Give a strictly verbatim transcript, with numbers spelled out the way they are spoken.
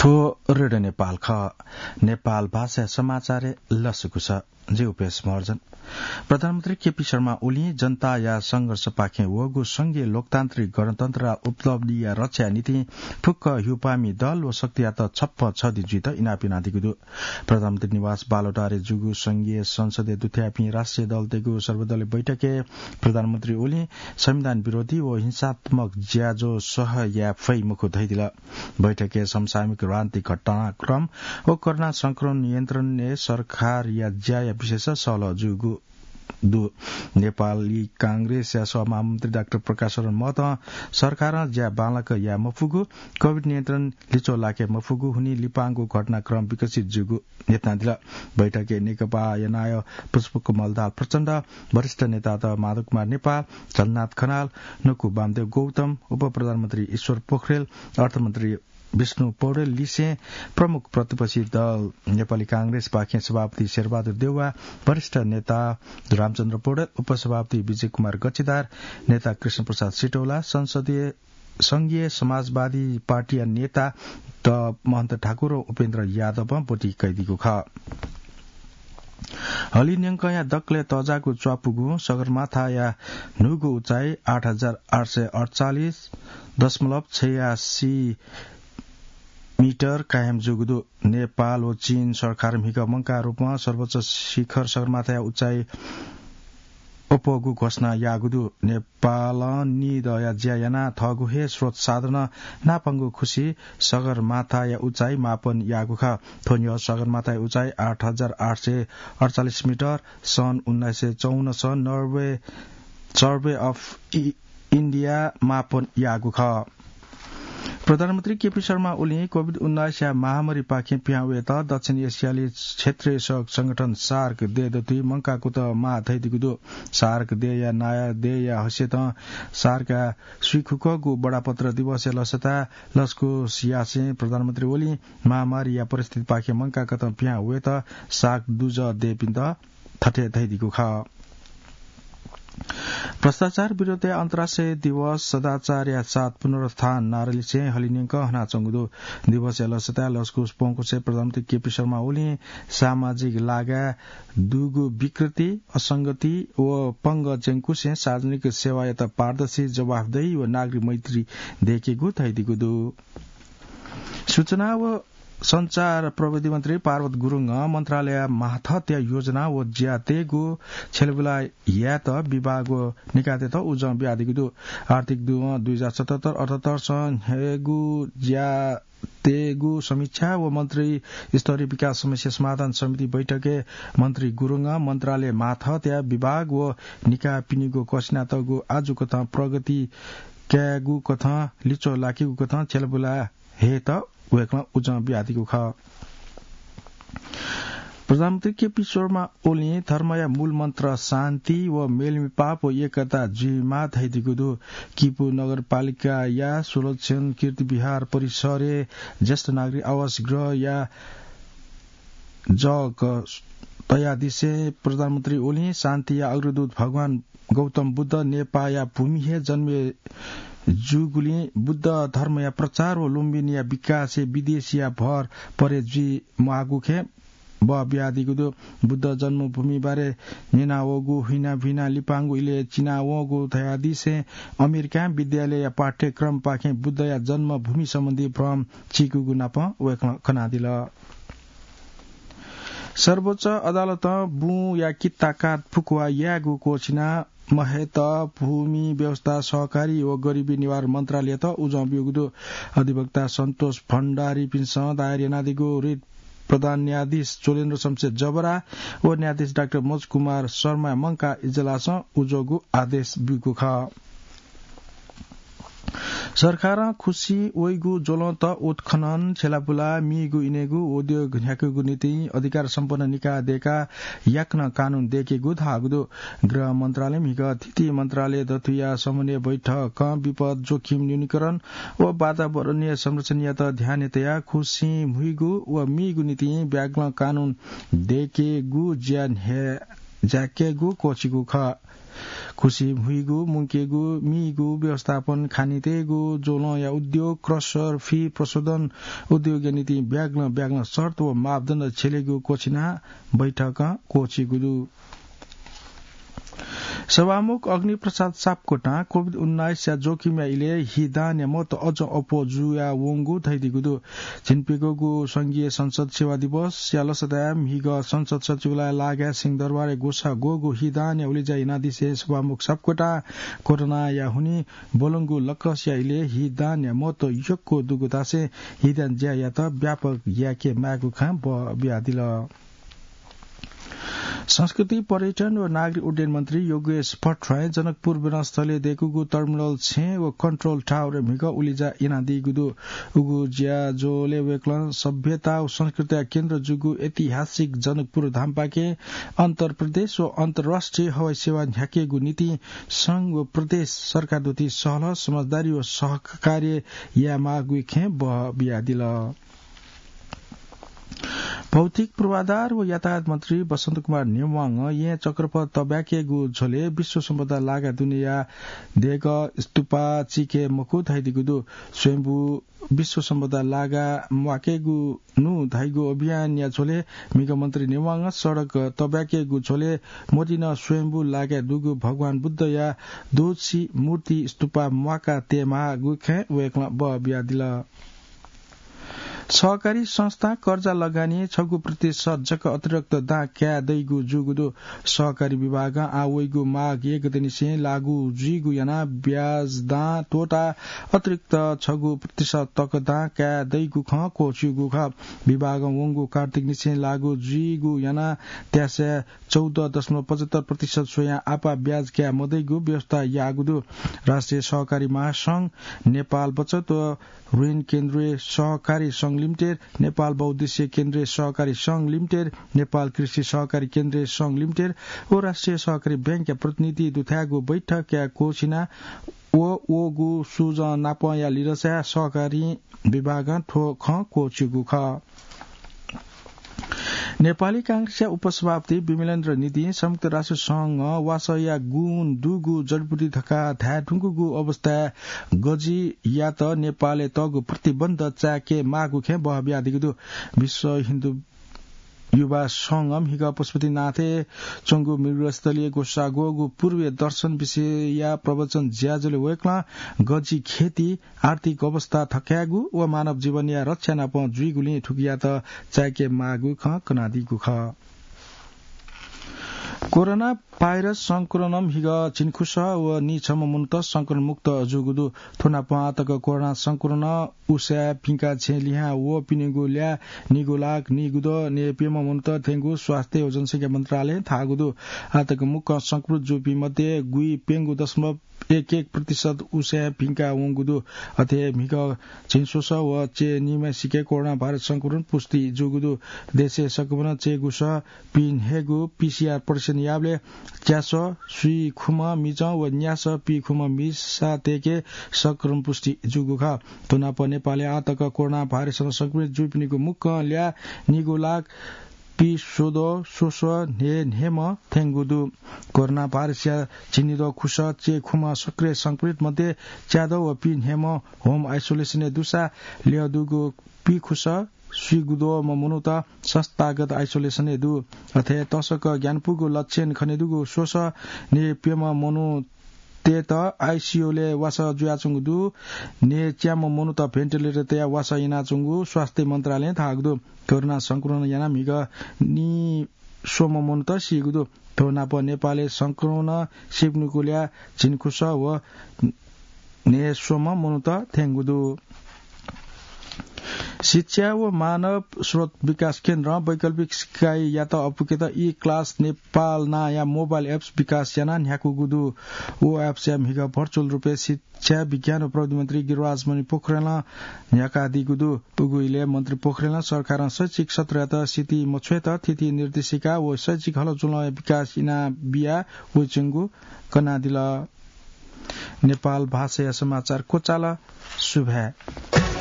थ्व रेडियो नेपाल खः। नेपाल भाषा समाचारय् लसकुस। जि उपेश महर्जन। प्रधानमन्त्री केपी शर्मा ओलीं जनताया संघर्षपाखें वःगु संघीय लोकतान्त्रिक गणतन्त्रया उपलब्धिया रक्षाया निंतिं फुक्क ह्यूपामि दल व शक्तियात छप्पँ छधी जुइत इनाप यानादीगु दु। प्रधानमन्त्री निवास बालुवाटारय् जूगु संघीय संसदय् दुथ्याःपिं राष्ट्रिय दलतय्गु सर्वदलीय बैठकय् प्रधानमन्त्री ओलीं संविधान विरोधी व हिंसात्मक ज्याझ्वः सह याये फइ मखु धयादिल। बैठकय् समसामयिक राजनीतिक घटनाक्रम व कोरोना संक्रमण नियन्त्रणय् सरकारया ज्याया विषयस सहलह जूगु दु। नेपाली कांग्रेसया सभामहामन्त्री डाक्टर प्रकाश शरण महतं सरकारं ज्या बांलाक याये मफुगु, कोभिड नियन्त्रण लिच्वः लाके मफुगु, हुनिं लिपांगु घटनाक्रम विकसित जूगु न्ह्यथनादिल। बैठकय् नेकपाया नायः पुष्पकमल दाहाल प्रचण्ड, वरिष्ठ नेतात माधव कुमार नेपाल, झलनाथ खनाल, नकु वामदेव गौतम, उपप्रधानमन्त्री ईश्वर पोखरेल, अर्थमन्त्री विष्णु पौडेल लिसें प्रमुख प्रतिपक्षी दल नेपाली कांग्रेसपाखें सभापति शेरबहादुर देउवा, वरिष्ठ नेता रामचन्द्र पौडेल, उपसभापति विजय कुमार गच्छीदार, नेता कृष्ण प्रसाद सिटौला, संसदीय संघीय समाजवादी पार्टीया नेता द महन्त ठाकुर व उपेन्द्र यादवं ब्वति कयादीगु खः। हलिंन्यंकया दकलय् तःजाःगु च्वापुगुं सगरमाथाया न्हूगु उचाइ आठ हजार आठ सय अठचालिस दशमलव छयासी मिटर कायम जूगु दु। नेपाल व चीन सरकारं म्हिगः मंकाः रूपं सर्वोच्च शिखर सगरमाथाया उचाइ अप्वःगु घोषणा याःगु दु। नेपालं निदँया ज्या यानाः थःगु हे स्रोत साधनं नापंगु खुसी सगरमाथाया उचाइ मापन याःगु खः। थ्व न्ह्यः सगरमाथाया उचाइ आठ हजार आठ सय अठचालिस मिटर सन् उन्नाइस सय चौवन्नस नर्वे, सर्वे अफ इ-, इन्डिया मापन याःगु खः। प्रधानमन्त्री केपी शर्मा ओलीं कोभिड उन्नाइसया महामारीपाखें पिहां वयेत दक्षिण एसियाली क्षेत्रीय सहयोग संगठन सार्क देय् दथुइ मंकाः कुतः माः धयादीगु दु। सार्क देय्‌या नायः देय्‌या हैसियतं सार्कया स्वीखुकःगु बडापत्र दिवसया लसताय् लसकुस यासें प्रधानमन्त्री ओलीं महामारीया परिस्थितिपाखें मंकाः कथं पिहां वयेत सार्क दुजः देय्‌पिन्त थथे धयादीगु खः। भ्रष्टाचार विरुद्धया अन्तर्राष्ट्रिय दिवस सदाचारया साथ पुनरुत्थान नारालिसें हलिंन्यंक हनाच्वंगु दु। दिवसया लसताय् लसकुस प्वंकुसें प्रधानमन्त्री केपी शर्मा ओलीं सामाजिक लागाय् दुगु विकृति, असंगति व पंगः च्यंकुसें सार्वजनिक सेवायात पारदर्शी, जवाफदेही व नागरिक मैत्री दयेकेगु धयादीगु दु। सूचना व सञ्चार प्रविधि मन्त्री पार्वत गुरुङं मन्त्रालयया माथतया योजना व ज्यातय्‌गु छ्यलेबुला यायेत विभाग व निकायतय्‌त उजं बियादीगु दु। आर्थिक दुवं दुई हजार सतहत्तर अठहत्तरसं न्ह्यागु ज्यातय्‌गु समीक्षा व मन्त्री स्तरीय विकास समस्या समाधान समिति बैठकय् मन्त्री गुरुङं मन्त्रालय माथतया विभाग व निकायपिनिगु क्वसिनातःगु आजुकथं प्रगति कायेगु कथं लिच्वः लाकेगु कथं छ्यलेबुला हयेत वय्‌कलं उजं बियादीगु खः। प्रधानमन्त्री केपी शर्मा ओलीं धर्मया मूल मन्त्र शान्ति व मेलमिपाप व एकता जुइमाः धयादीगु दु। किपू नगरपालिकाया सुलक्षण कीर्ति विहार परिसरय् ज्येष्ठ नागरिक आवास गृहया जग तयादिसें प्रधानमन्त्री ओलीं शान्तिया अग्रदूत भगवान गौतम बुद्ध नेपाःया भूमि हे जन्मे जूगुलिं बुद्ध धर्मया प्रचार व लुम्बिनीया विकासय् विदेशीया भर परे जुइ म्वाःगु खँ बः बियादीगु दु। बुद्ध जन्मभूमि बारे न्यनावःगु हुइनाभिना लिपांगु इलय् चिनावःगु धयादिसें अमेरिकां विद्यालयया पाठ्यक्रमपाखें बुद्धया जन्मभूमि सम्बन्धी भ्रम चीकूगु नापं वय्‌कलं कनादिल। सर्वोच्च अदालतं बुँया कित्ताकाट फुकुवा यायेगु क्वःछिना महेत भूमि व्यवस्था सहकारी व गरिबी निवारण मन्त्रालययात उजं ब्यूगु दु। अधिवक्ता सन्तोष भण्डारीपिन्सं दायर यानादीगु रिट प्रधान न्यायाधीश चोलेन्द्र शमशेर जबरा व न्यायाधीश डाक्टर मनोज कुमार शर्माया मंकाः इजलासं उजंगु आदेश ब्यूगु खः। सरकारं खुसी वइगु ज्वलंत उत्खनन, छ्यलाबुला, मीगु इनेगु उद्योग न्ह्याकेगु निंतिं अधिकार सम्पन्न निकाय दय्‌काः याकनं कानून दय्‌केगु धाःगु दु। गृह मन्त्रालय म्हिगः थीथी मन्त्रालय दथुया समन्वय बैठकं विपद जोखिम न्यूनीकरण व वातावरणीय संरक्षणयात ध्यानय् तयाः खुसिं म्हुइगु व मीगु निंतिं ब्यागलं कानून दय्‌केगु ज्या न्ह्याकेगु क्वःछिगु खः। खुसी हुइगु, मुंकेगु, मीगु व्यवस्थापन, खानी तयेगु, ज्वलंया उद्योग, क्रसर, फी प्रशोधन उद्योगया निंतिं ब्यागलं ब्यागलं शर्त व मापदण्ड छ्यलेगु क्वःछिना बैठकं क्वःछिगु दु। सभामुख अग्निप्रसाद सापकोटां कोभिड उन्नाइसया जोखिमया इलय् हिदानया महत्व अझ अप्वः जुयावंगु धयादीगु दु। झिंप्यघौगु संघीय संसद सेवा दिवसया लसताय् म्हिगः संसद सचिवालय लागाय् सिंहदरबारय् ग्वसाः ग्वःगु हिदानया उलेज्या यानादिसें सभामुख सापकोटां कोरोनाया हुनिं ब्वलंगु लकसया इलय् हिदानया महत्व यक्व दुगु धासें हिदान ज्यायात व्यापक याके माःगु खँ बबियादिल। संस्कृति, पर्यटन व नागरिक उड्डयन मन्त्री योगेश भट्टराईं जनकपुर विमानस्थलय् दय्कूगु टर्मिनल छेँ व कन्ट्रोल टावरय् म्हिगः उलेज्या यानादीगु दु। उगु ज्याझ्वलय् वय्कलं सभ्यता व संस्कृतिया केन्द्र जूगु ऐतिहासिक जनकपुर धामपाखें अन्तर्प्रदेश व अन्तर्राष्ट्रिय हवाई सेवा न्ह्याकेगु निंतिं संघ व प्रदेश सरकारद्वारा सहलह, समझदारी व सहकार्य यायेमाःगु खँ बबियादिल। भौतिक पूर्वाधार व यातायात मन्त्री बसन्त कुमार नेवांगं येँ चक्रपथ तब्याकेगु झ्वलय् विश्व सम्पदा लागा दुनेया देगः स्तूपा चिके मखु धयादीगु दु। स्वयम्भू विश्व सम्पदा लागा म्वाकेगु नु धाइगु अभियानया झ्वलय् म्हिगः मन्त्री नेवांगं सडक तब्याकेगु झ्वलय् मोतिनं स्वयम्भू लागाय् दुगु भगवान बुद्धया दोची मूर्ति स्तूपा म्वाका तयेमाःगु खँ वय्कलं बबियादिल। सहकारी संस्थां कर्जा लगानी छगू प्रतिशत जक अतिरिक्त दां काये दइगु जूगु दु। सहकारी विभागं आः वइगु माघ एक गतेनिसें लागू जुइगु यानाः ब्याज दां त्वःताः अतिरिक्त छगू प्रतिशत तक दां काये दइगु खँ क्वःछिउगु खः। विभागं वंगु कार्तिकनिसें लागू जुइगु यानाः त्यासय् चौध दशमलव पचहत्तर प्रतिशत स्वयां आपाः ब्याज काये मदइगु व्यवस्था याःगु दु। राष्ट्रिय सहकारी महासंघ, नेपाल बचत व ऋण केन्द्रीय सहकारी संघ लिमिटेड, नेपाल बहुउद्देश्य केन्द्रीय सहकारी संघ लिमिटेड, नेपाल कृषि सहकारी केन्द्रीय संघ लिमिटेड व राष्ट्रिय सहकारी बैंकया प्रतिनिधि दुथ्याःगु बैठकया क्वःछिना व वःगु सुजं नापंया लिधंसाय् सहकारी विभागं थ्व खँ क्वःछिउगु खः। नेपाली कांग्रेसया उपसभापति विमलेन्द्र निधिं संयुक्त राष्ट्र संघं वासःया गुण दुगु जडीबुटी धकाः धाये धुंकूगु अवस्थाय् गजियात नेपालय् तःगु प्रतिबन्ध चायेके माःगु खँ बहबियादीगु दु। विश्व हिन्दू युवा संघं म्हिगः पशुपतिनाथय् च्वंगु मृगस्थलीय् ग्वसाः ग्वःगु पूर्वीय दर्शन विषयया प्रवचन ज्याझ्वलय् वय्कलं गजि खेती, आर्थिक अवस्था थकायेगु व मानव जीवनया रक्षा नाप जुइगुलिं थुकियात चायेके माःगु खँ कनादीगु खः। कोरोना भाइरस संक्रमणं म्हिगः झिंखुसः व नीछम्ह मनूत संक्रमण मुक्त जूगु दु। थ्व नापं आःतक कोरोना संक्रमणं उसाँय् पिंकाः छेँ लिहां वःपिनिगु ल्याः निगू लाख निगू दँ नयेप्यम्ह मनूत थ्यंगु स्वास्थ्य व जनसंख्या मन्त्रालयं धाःगु दु। आःतक मुक्कं संक्रमित जूपिं मध्ये गुइप्यंगू दशमलव एक एक प्रतिशत उसाँय् पिंका वंगु दु। अथे हे म्हिगः झिंस्वसः व च्यय् निम्हय्सिके कोरोना भाइरस संक्रमण पुष्टि जूगु दु। देशय् संक्रमण च्यय्गुसः पीन्हय्गू पीसीआर परीक्षण याःबलय् च्यासः स्वीखुम्ह मिजं व न्यासः पीखुम्ह मिसातय्के संक्रमण पुष्टि जूगु खः। थ्व नाप नेपालय् आःतक कोरोना भाइरसं संक्रमित जूपिनिगु मुक्कं ल्याः निगू लाख पीस्वदँ स्वसः न्हय्न्हय्म्ह थ्यंगु दु। कोरोना भाइरसया झिंनिदँ खुसः च्यय्खुम्ह सक्रिय संक्रमित मध्ये च्यादँ व पीन्हय्म्ह होम आइसोलेसनय् दुसा ल्यः दुगु पीखुसः स्वीगुदँम्ह मनूत संस्थागत आइसोलेसनय् दु। अथे तसकं ग्यानापुगु लक्षण खनेदुगु स्वसः न्हय्प्यम्ह मनूतय्त आइसियुलय् वासः जुयाच्वंगु दु। न्हय्च्याम्ह मनूत भेन्टिलेटर तयाः वासः यानाच्वंगु स्वास्थ्य मन्त्रालयं धाःगु दु। कोरोना संक्रमण यानाः म्हिगः नीस्वम्ह मनूत सीगु दु। थ्व नाप नेपालय् संक्रमणं सीपिनिगु ल्याः झिंखुसः व न्हय्स्वम्ह मनूत थ्यंगु दु। शिक्षा व मानव स्रोत विकास केन्द्रं वैकल्पिक सिकाइयात अपुकेत ई क्लास नेपाल नांया मोबाइल एप्स विकास यानाः न्ह्याकूगु दु। व एप्सया म्हिगः भर्चुअल रूपय् शिक्षा, विज्ञान व प्रविधि मन्त्री गिरिराज मणि पोखरेलं न्ह्याकादीगु दु। उगु इलय् मन्त्री पोखरेलं सरकारं शैक्षिक सत्रयात सितिं मछ्वयेत थीथी निर्देशिका व शैक्षिक हलचुलंया विकास यानाबिया वइच्वंगु कनादिल। नेपाल भाषाया समाचार क्वचाल। सुभाय्।